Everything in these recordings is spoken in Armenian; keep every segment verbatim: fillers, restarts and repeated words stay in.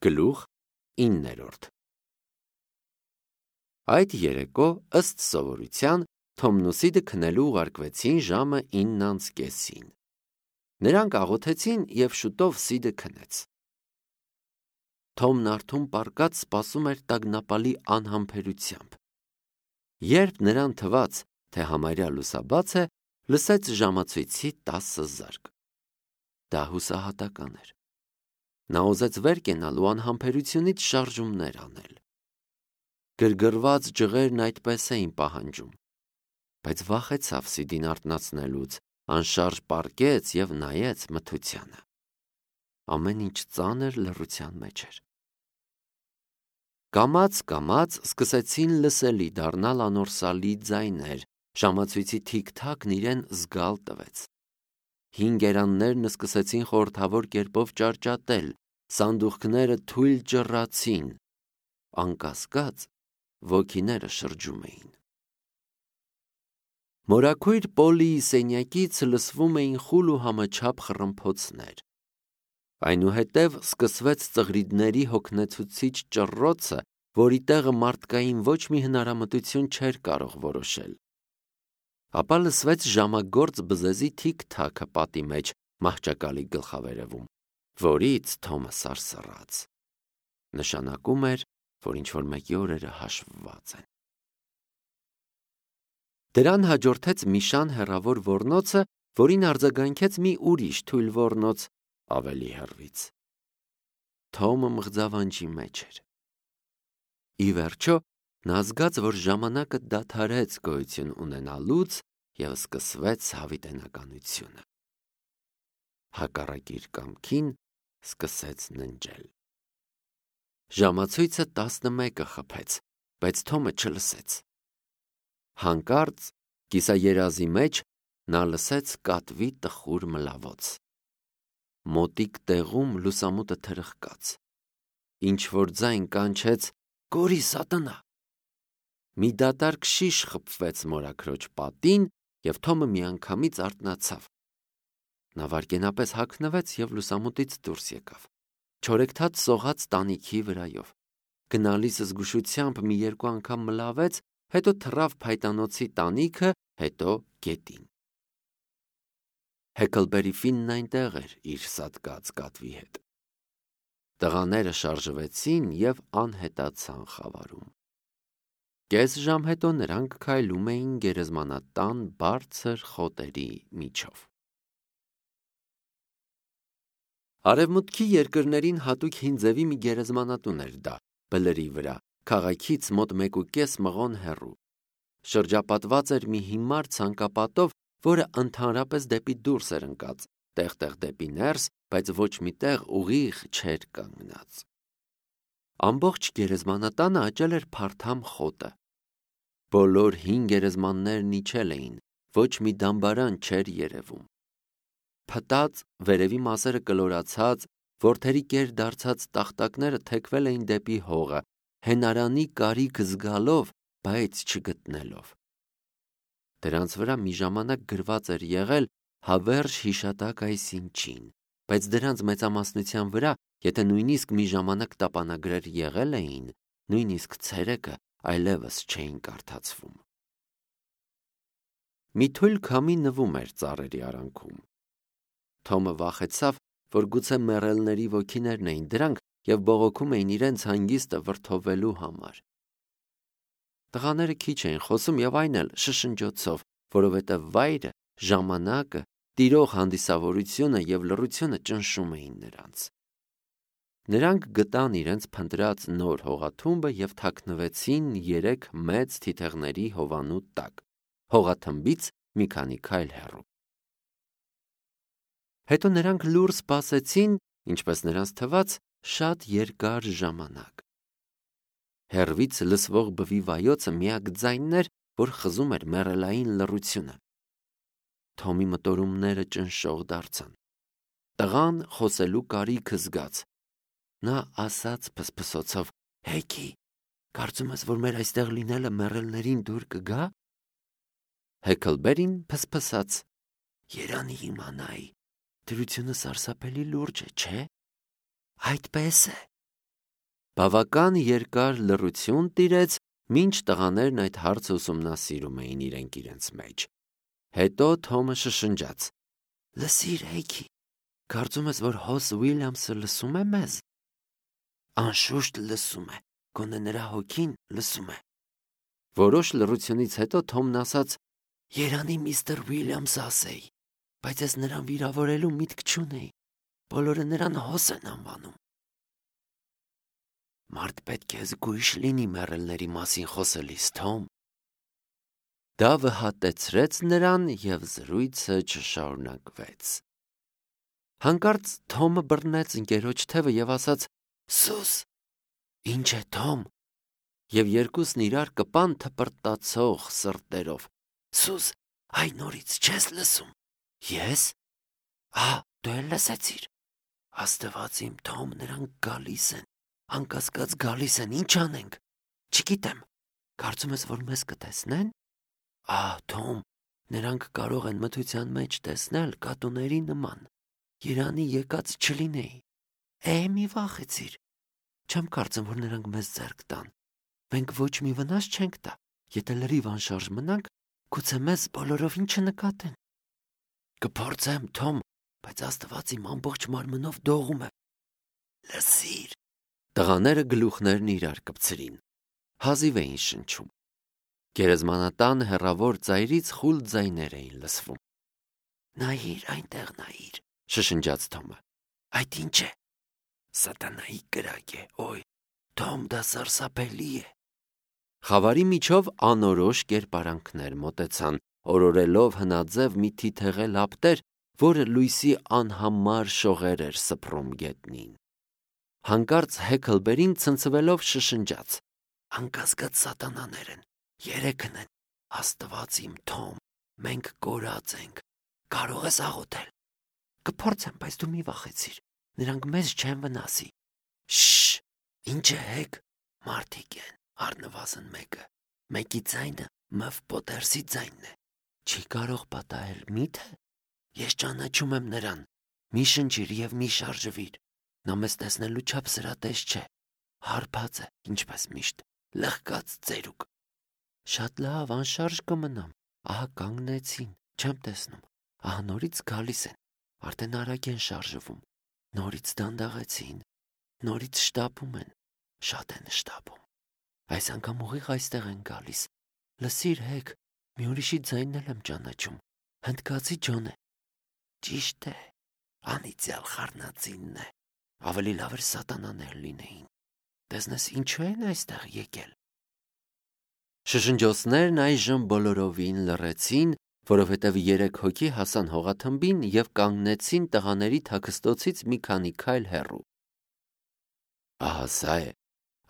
Գլուխ իններորդ Այդ երեկո ըստ սովորության Թոմն ու Սիդը քնելու ուղարկվեցին ժամը ինն անց կեսին։ Նրանք աղոթեցին և շուտով Սիդը քնեց։ Թոմն արթուն պառկած սպասում էր տագնապալի անհամբերությամբ։ Երբ նրան թվաց, թե համարյա լուսաբաց է, լսեց ժամացույցի տասը զարկ։ Դա հուսահատական էր։ Նա ուզեց վեր կենալ ու անհամբերությունից շարժումներ անել։ Գրգռված ջղերն այդպես էին պահանջում, բայց վախեցավ Սիդին արթնացնելուց, անշարժ պառկեց և նայեց մթությանը։ Ամեն ինչ ծանր լռության մեջ էր։ Կամաց-կամաց սկսեցին լսելի դառնալ անորսալի ձայներ, ժամացույցի թիք-թաքն իրեն զգալ տվեց։ Հինգ էրաններն սկսեցին խորհրդավոր կերպով ճարճատել, սանդուղքները թույլ ճռռացին, անկասկած ոգիները շրջում էին։ Մորաքույր Պոլիի սենյակից լսվում էին խուլ ու համաչափ խռմփոցներ։ Այնուհետև սկսվեց ծղրիդների հոգնեցուցիչ ճռռոցը, որի տեղը մարդկային ոչ մի հնարամտություն չէր կարող որոշել։ Ապա լսվեց ժամագործ բզեզի թիք-թաքը պատի մեջ մահճակալի գլխավերևում, որից Թոմը սարսռաց։ Նշանակում էր, որ ինչ-որ մեկի օրերը հաշվված են։ Դրան հաջորդեց մի շան հեռավոր ոռնոցը, որին արձագանքեց մի ուրիշ թույլ ոռնոց ավելի հեռվից։ Թոմը մղձավանջի մեջ էր։ Ի վերջո, նա զգաց, որ ժամանակը դադարեց գոյություն ունենալուց և սկսվեց հավիտենականությունը։ Հակառակ իր կամքին սկսեց ննջել։ Ժամացույցը տասնմեկը խփեց, բայց Թոմը չլսեց։ Հանկարծ կիսաերազի մեջ նա լսեց կատվի տխուր մլավոց։ Մոտիկ տեղում լուսամուտը թրխկաց։ Ինչ-որ ձայն կանչեց. «Կորի, սատանա»։ Մի դատարկ շիշ խփվեց մորաքրոջ պատին, և Թոմը միանգամից արթնացավ։ Նա վայրկենապես հագնվեց և լուսամուտից դուրս եկավ։ Չորեքթաթ սողաց տանիքի վրայով։ Գնալիս զգուշությամբ մի երկու անգամ մլավեց, հետո թռավ փայտանոցի տանիքը, հետո գետին։ Հեքլբերի Ֆիննն այնտեղ էր իր սատկած կատվի հետ։ Տղաները շարժվեցին և անհետացան խավարում։ Կես ժամ հետո նրանք քայլում էին գերեզմանատան բարձր խոտերի միջով։ Արևմուտքի երկրներին հատուկ հին ձևի մի գերեզմանատուն էր դա, բլրի վրա, քաղաքից մոտ մեկուկես մղոն հեռու։ Շրջապատված էր մի հիմար ցանկապատով, որը ընդհանրապես դեպի դուրս էր ընկած, տեղ-տեղ դեպի ներս, բայց ոչ մի տեղ ուղիղ չէր կանգնած։ Ամբողջ գերեզմանատանը աճել էր փարթամ խոտը։ Բոլոր հին գերեզմաններն իջել էին, ոչ մի դամբարան չէր երևում։ Փտած, վերևի մասերը կլորացած, որդերի կեր դարձած տախտակները թեքվել էին դեպի հողը, հենարանի կարիք զգալով, բայց չգտնելով։ Դրանց վրա մի ժամանակ գրված էր եղել «Հավերժ հիշատակ այսինչին», բայց դրանց մեծամասնության վրա, եթե նույնիսկ մի ժամանակ տապանագրեր եղել էին, նույնիսկ ցերեկը այլևս չէին կարդացվում։ Մի թույլ քամի նվում էր ծառերի արանքում։ Թոմը վախեցավ, որ գուցե մեռելների ոգիներն էին դրանք և բողոքում էին իրենց հանգիստը վրդովվելու համար։ Տղաները քիչ էին խոսում և այն էլ շշնջոցով, որովհետև վայրը, ժամանակը, տիրող հանդիսավորությունը և լռությունը ճնշում էին նրանց։ Նրանք գտան իրենց փնտրած նոր հողաթումբը և թաքնվեցին երեք մեծ թիթեղների հովանու տակ, հողաթմբից մի քանի քայլ հեռու։ Հետո նրանք լուռ սպասեցին, ինչպես նրանց թվաց, շատ երկար ժամանակ։ Հեռվից լսվող բվի վայոցը միակ ձայնն էր, որ խզում էր մեռելային լռությունը։ Թոմի մտորումները ճնշող դարձան։ Տղան խոսելու կարիք զգաց։ Նա ասաց փսփսոցով. «Հեքի, կարծում ես, որ մեր այստեղ լինելը մեռելներին դուր կգա»։ Հեքլբերին փսփսաց. «Երանի իմանայի, դրությունը սարսափելի լուրջ է, չէ՞։ Այդպես է, Բավական երկար լռություն տիրեց, մինչ տղաներն այդ հարցը ուսումնասիրում էին իրենք իրենց մեջ։ Հետո Թոմը շշնջաց. «Լսիր, Հեյքի, կարծում ես, որ Հոս Ուիլյամսը լսում է մեզ»։ «Անշուշտ լսում է, գոնե նրա հոգին լսում է»։ Որոշ լռությունից հետո Թոմն ասաց. «Երանի միստր Ուիլյամսը ասեի, բայց ես նրան վիրավորելու միտք չունեի, բոլորը նրան Հոս են անվանում»։ Մարդ պետք է զգույշ լինի մեռելների մասին խոսելիս, Թոմ։ Դա վհատեցրեց նրան և զրույցը չշարունակվեց։ Հանկարծ Թոմը բռնեց ընկերոջ թևը և ասաց. «Սուս»։ «Ինչ է, Թոմ»։ Եվ երկուսն իրար կպան թպրտացող սրտերով։ «Սուս, այ նորից չես լսում»։ «Ես»։ «Ահա, դու էլ լսեցիր»։ «Աստված իմ, Թոմ, նրանք գալիս են, անկասկած գալիս են, ինչ անենք»։ «Չգիտեմ, կարծում ես, որ մեզ կտեսնեն»։ «Ահա, Թոմ, նրանք կարող են մթության մեջ տեսնել կատուների նման, երանի եկած չլինեի»։ «Է, մի վախեցիր, չեմ կարծում, որ նրանք մեզ ձեռք տան, մենք ոչ մի վնաս չենք տա, եթե լրիվ անշարժ մնանք, գուցե մեզ բոլորովին չնկատեն»։ «Կփորձեմ, Թոմ, բայց Աստված իմ ամբողջ մարմնով դողում է»։ «Լսիր»։ Տղաները գլուխներն իրար կպցրին, հազիվ էին շնչում։ Գերեզմանատան հեռավոր ծայրից խուլ ձայներ էին լսվում։ «Նայիր, այնտեղ նայիր», շշնջաց Թոմը։ «Այդ ինչ է»։ «Սատանայի կրակ է, օյ, Թոմ, դա սարսափելի է»։ Խավարի միջով անորոշ կերպարանքներ մոտեցան, օրորելով հնաձև մի թիթեղե լապտեր, որը լույսի անհամար շողեր էր սփռում գետնին։ Հանկարծ Հեքլբերին ցնցվելով շշնջաց. «Անկասկած սատանաներ են, երեքն են, Աստված իմ, Թոմ, մենք կորած ենք, կարող ես աղոթել»։ «Կփորձեմ, բայց դու մի վախեցիր, նրանք մեզ չեն վնասի»։ «Շշ, ինչ է, Հեք, մարդիկ են, առնվազն մեկը, մեկի ձայնը Մըվ Պոտերսի ձայնն է, չի կարող պատահել, մի՞թե։ Ես ճանաչում եմ նրան, մի շնչիր և մի շարժվիր, նա մեզ տեսնելու չափ սրատես չէ, հարբած է, ինչպես միշտ, լղկած ծերուկ»։ «Շատ լավ, անշարժ կմնամ, ահա կանգնեցին, չեմ տեսնում, ահա նորից գալիս են, արդեն արագ են շարժվում, նորից դանդաղեցին, նորից շտապում են, շատ են շտապում, այս անգամ ուղիղ այստեղ են գալիս։ Լսիր, Հեք, մի ուրիշի ձայնն էլ եմ ճանաչում, հնդկացի Ջոն է»։ «Ճիշտ է, անիծյալ խառնածինն է, ավելի լավ էր սատանաներ լինեին, տեսնես ինչու են այստեղ եկել»։ Շշնջոցներն այժմ բոլորովին լռեցին, որովհետև երեք հոգի հասան հողաթմբին և կանգնեցին տղաների թաքստոցից մի քանի քայլ հեռու։ «Ահա սա է»,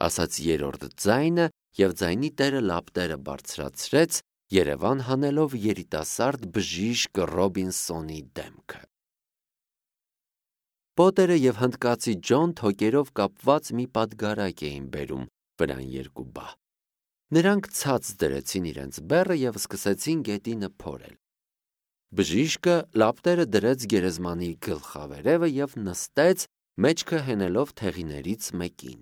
ասաց երրորդ ձայնը, և ձայնի տերը լապտերը բարձրացրեց, երևան հանելով երիտասարդ բժիշկ Ռոբինսոնի դեմքը։ Պոտերը և հնդկացի Ջոն թոկերով կապված մի պատգարակ էին բերում վրան երկու բահ։ Նրանք ցած դրեցին իրենց բեռը և սկսեցին գետինը փորել։ Բժիշկը լապտերը դրեց գերեզմանի գլխավերևը և նստեց, մեջքը հենելով թեղիներից մեկին։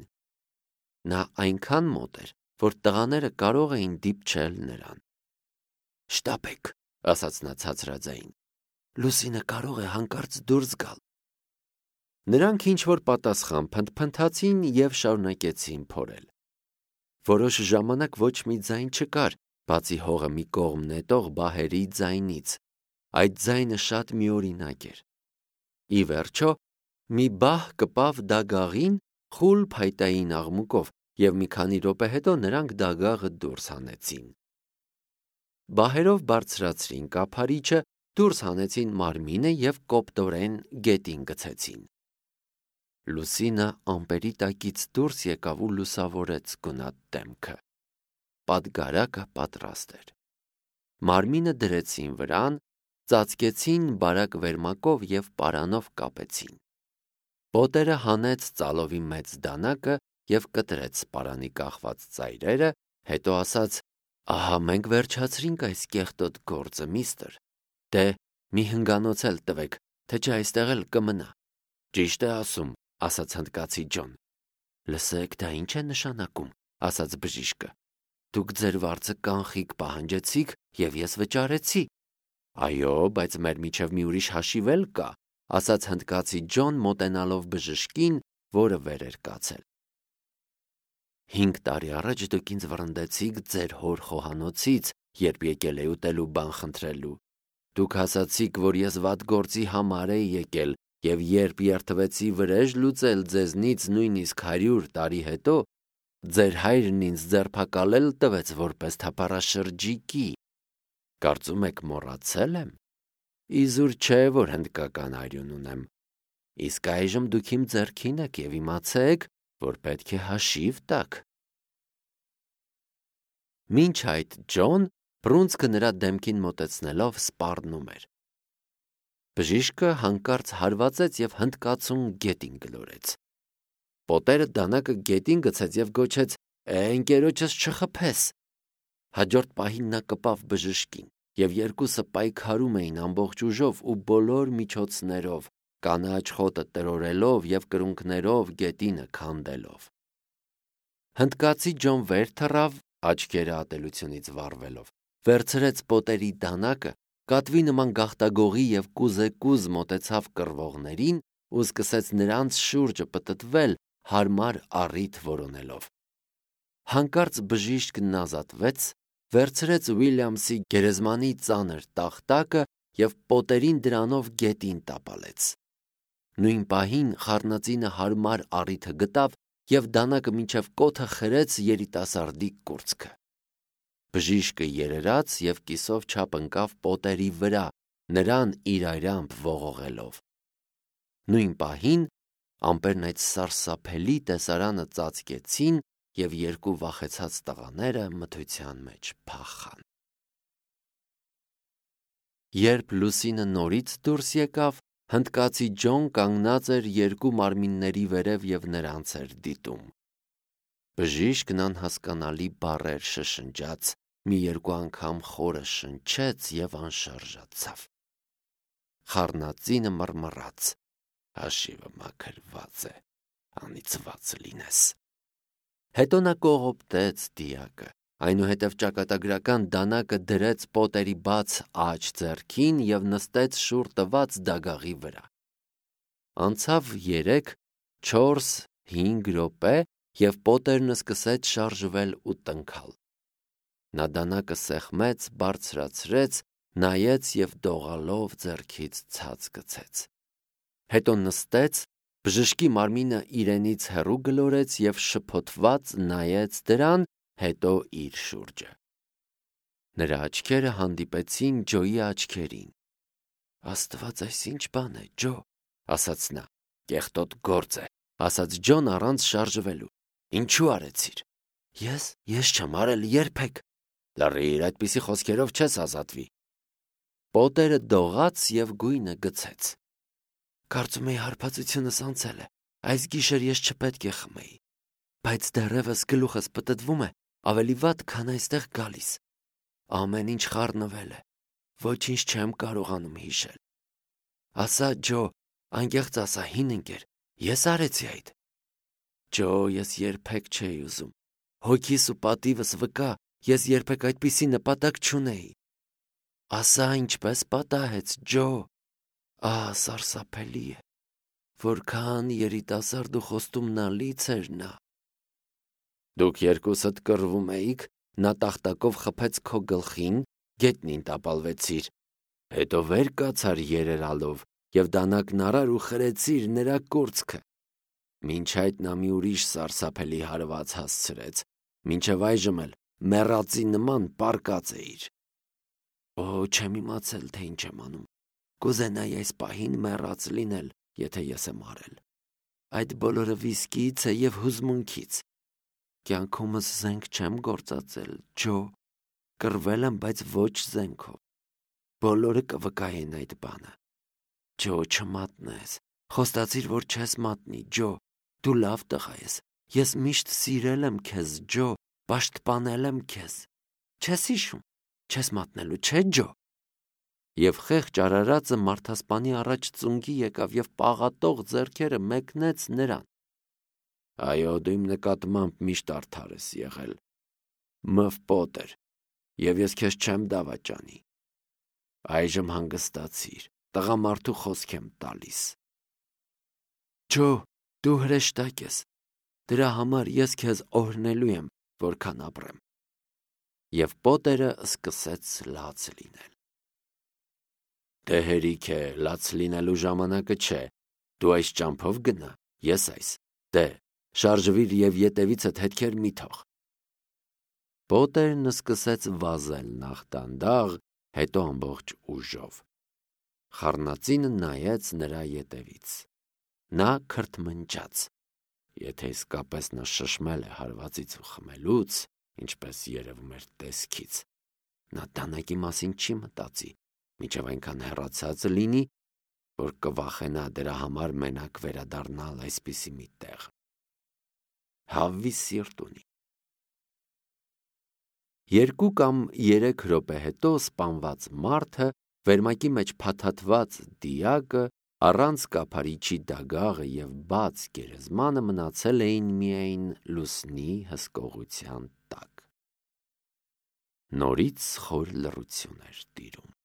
Նա այնքան մոտ էր, որ տղաները կարող էին դիպչել նրան։ «Շտապեք», ասաց նա ցածրաձայն, «Լուսինը կարող է հանկարծ դուրս գալ»։ Նրանք ինչ-որ պատասխան փնթփնթացին և շարունակեցին փորել։ Որոշ ժամանակ ոչ մի ձայն չկար, բացի հողը մի կողմ նետող բահերի ձայնից։ Այդ ձայնը շատ միօրինակ էր։ Ի վերջո, մի բահ կպավ դագաղին խուլ փայտային աղմուկով, և մի քանի րոպե հետո նրանք դագաղը դուրս հանեցին։ Բահերով բարձրացրին կափարիչը, դուրս հանեցին մարմինը և կոպտորեն գետին գցեցին։ Լուսինը ամպերի տակից դուրս եկավ ու լուսավորեց գունատ դեմքը։ Պատգարակը պատրաստ էր։ Մարմինը դրեցին վրան, ծածկեցին բարակ վերմակով և պարանով կապեցին։ Պոտերը հանեց ծալովի մեծ դանակը և կտրեց պարանի կախված ծայրերը, հետո ասաց. «Ահա մենք վերջացրինք այս կեղտոտ գործը, միստր, դե մի հնգանոց էլ տվեք, թե չէ այստեղ էլ կմնա»։ «Ճիշտ է ասում», ասաց հնդկացի Ջոն։ Լսեք, դա ինչ է նշանակում, ասաց բժիշկը։ Դուք ձեր վարձը կանխիկ պահանջեցիք և ես վճարեցի։ Այո, բայց մեր միջև մի ուրիշ հաշիվ էլ կա, ասաց հնդկացի Ջոն մոտենալով բժշկին, որը վեր էր կացել։ Հինգ տարի առաջ դուք ինձ վռնդեցիք ձեր հոր խոհանոցից, երբ եկել էի ուտելու բան խնդրելու։ Դուք ասացիք, որ ես վատ գործի համար էի եկել, և երբ երդվեցի վրեժ լուծել ձեզնից նույնիսկ հարյուր տարի հետո, ձեր հայրն ինձ ձերբակալել տվեց որպես թափառաշրջիկի։ Կարծում եք մոռացել եմ։ Իզուր չէ, որ հնդկական արյուն ունեմ։ Իսկ այժմ դուք իմ ձեռքին եք և իմացեք, որ պետք է հաշիվ տաք։ Մինչ այդ Ջոն, բռունցքը նրա դեմքին մոտեցնելով, սպառնում էր։ Բժիշկը հանկարծ հարվածեց և հնդկացուն գետին գլորեց։ Պոտերը դանակը գետին գցեց և գոչեց. «Է, ընկերոջս չխփես»։ Հաջորդ պահին նա կպավ բժշկին, և երկուսը պայքարում էին ամբողջ ուժով ու բոլոր միջոցներով, կանաչ խոտը տրորելով և կրունկներով գետինը քանդելով։ Հնդկացի Ջոն վեր թռավ, աչքերը ատելությունից վառվելով, վերցրեց Պոտերի դանակը, կատվի նման գաղտագողի և կուզեկուզ մոտեցավ կռվողներին ու սկսեց նրանց շուրջը պտտվել, հարմար առիթ որոնելով։ Հանկարծ բժիշկն ազատվեց, վերցրեց Ուիլյամսի գերեզմանի ծանր տախտակը և Պոտերին դրանով գետին տապալեց։ Նույն պահին խառնածինը հարմար առիթը գտավ և դանակը մինչև կոթը խրեց երիտասարդի կուրծքը։ Բժիշկը երերաց և կիսով չափ ընկավ Պոտերի վրա, նրան իրարամբ ողողելով։ Նույն պահին ամպերն այդ սարսափելի տեսարանը ծածկեցին և երկու վախեցած տղաները մթության մեջ փախան։ Երբ լուսինը նորից դուրս եկավ, հնդկացի Ջոն կանգնած էր երկու մարմինների վերև և նրանց էր դիտում։ Բժիշկն անհասկանալի բառեր շշնջաց, մի երկու անգամ խորը շնչեց և անշարժացավ։ Խառնածինը մռմռաց. «Հաշիվը մաքրված է, անիծված լինես»։ Հետո նա կողոպտեց դիակը, այնուհետև ճակատագրական դանակը դրեց Պոտերի բաց աջ ձեռքին և նստեց շուռ տված դագաղի վրա։ Անցավ երեք, չորս, հինգ րոպե, և Պոտերն սկսեց շարժվել ու տնքալ։ Նա դանակը սեղմեց, բարձրացրեց, նայեց և դողալով ձեռքից ցած գցեց։ Հետո նստեց, բժշկի մարմինը իրենից հեռու գլորեց և շփոթված նայեց դրան, հետո իր շուրջը։ Նրա աչքերը հանդիպեցին Ջոյի աչքերին։ «Աստված, այս ինչ բան է, Ջո», ասաց նա։ «Կեղտոտ գործ է», ասաց Ջոն առանց շարժվելու։ «Ինչու արեցիր»։ Ես, ես չեմ արել երբեք։ Լռիր, այդպիսի խոսքերով չես ազատվի։ Պոտերը դողաց և գույնը գցեց։ Կարծում էի հարբածությունս անցել է, այս գիշեր ես չպետք է խմեի, բայց դեռևս գլուխս պտտվում է, ավելի վատ, քան այստեղ գալիս։ Ամեն ինչ խառնվել է, ոչինչ չեմ կարողանում հիշել։ Ասա, Ջո, անկեղծ ասա, հին ընկեր, ես արեցի այդ։ Ջո, ես երբեք չէի ուզում։ Հոգիս ու պատիվս վկա, ես երբեք այդպիսի նպատակ չունեի։ Ասա, ինչպես պատահեց, Ջո։ Ահ, սարսափելի է, որքան երիտասարդ ու խոստումնալից էր նա։ Դուք երկուսդ կռվում էիք, նա տախտակով խփեց քո գլխին, գետնին տապալվեցիր, հետո վեր կացար երերալով և դանակն առար ու խրեցիր նրա կուրծքը։ Մինչ այդ նա մի ուրիշ սարսափելի հարված հասցրեց, մինչև այժմ էլ մեռածի նման պառկած էիր։ Օ, չեմ իմացել, թե ինչ եմ անում։ Կուզենայի այս պահին մեռած լինել, եթե ես եմ արել։ Այդ բոլորը վիսկիից է և հուզմունքից։ Կյանքումս զենք չեմ գործածել, Ջո։ Կռվել եմ, բայց ոչ զենքով։ Բոլորը կվկայեն այդ բանը։ Ջո, չմատնես։ Խոստացիր, որ չես մատնի, Ջո։ Դու լավ տղա ես։ Ես միշտ սիրել եմ քեզ, Ջո, պաշտպանել եմ քեզ։ Չես հիշում, չես մատնելու, չէ՞, Ջո։ Եվ խեղճ արարածը մարդասպանի առաջ ծունկի եկավ և պաղատող ձեռքերը մեկնեց նրան։ Այո, դու իմ նկատմամբ միշտ արդար ես եղել, մըվ Պոտեր, և ես քեզ չեմ դավաճանի։ Այժմ հանգստացիր, տղամարդու խոսք եմ տալիս։ Ջո, դու հրեշտակ ես, դրա համար ես քեզ օրհնելու եմ, որքան ապրեմ։ Եվ Պոտերը սկսեց լաց լինել։ Դե հերիք է, լաց լինելու ժամանակը չէ, դու այս ճամփով գնա, ես այս, դե, շարժվիր և ետևիցդ հետքեր մի թող։ Պոտերն սկսեց վազել նախ դանդաղ, հետո ամբողջ ուժով։ Խառնածինը նայեց նրա ետևից։ Նա քրթմնջաց։ Եթե իսկապես նա շշմել է հարվածից ու խմելուց, ինչպես երևում էր տեսքից, նա դանակի մասին չի մտածի, մինչև այնքան հեռացած լինի, որ կվախենա դրա համար մենակ վերադառնալ այսպիսի մի տեղ։ Հավվի սիրտ ունի։ Երկու կամ երեք րոպե հետո սպանված մարդը, վերմակի մեջ փաթաթված դիակը, առանց կափարիչի դագաղը և բաց գերեզմանը մնացել էին միայն լուսնի հսկողության տակ։ Նորից խոր լռություն էր տիրում։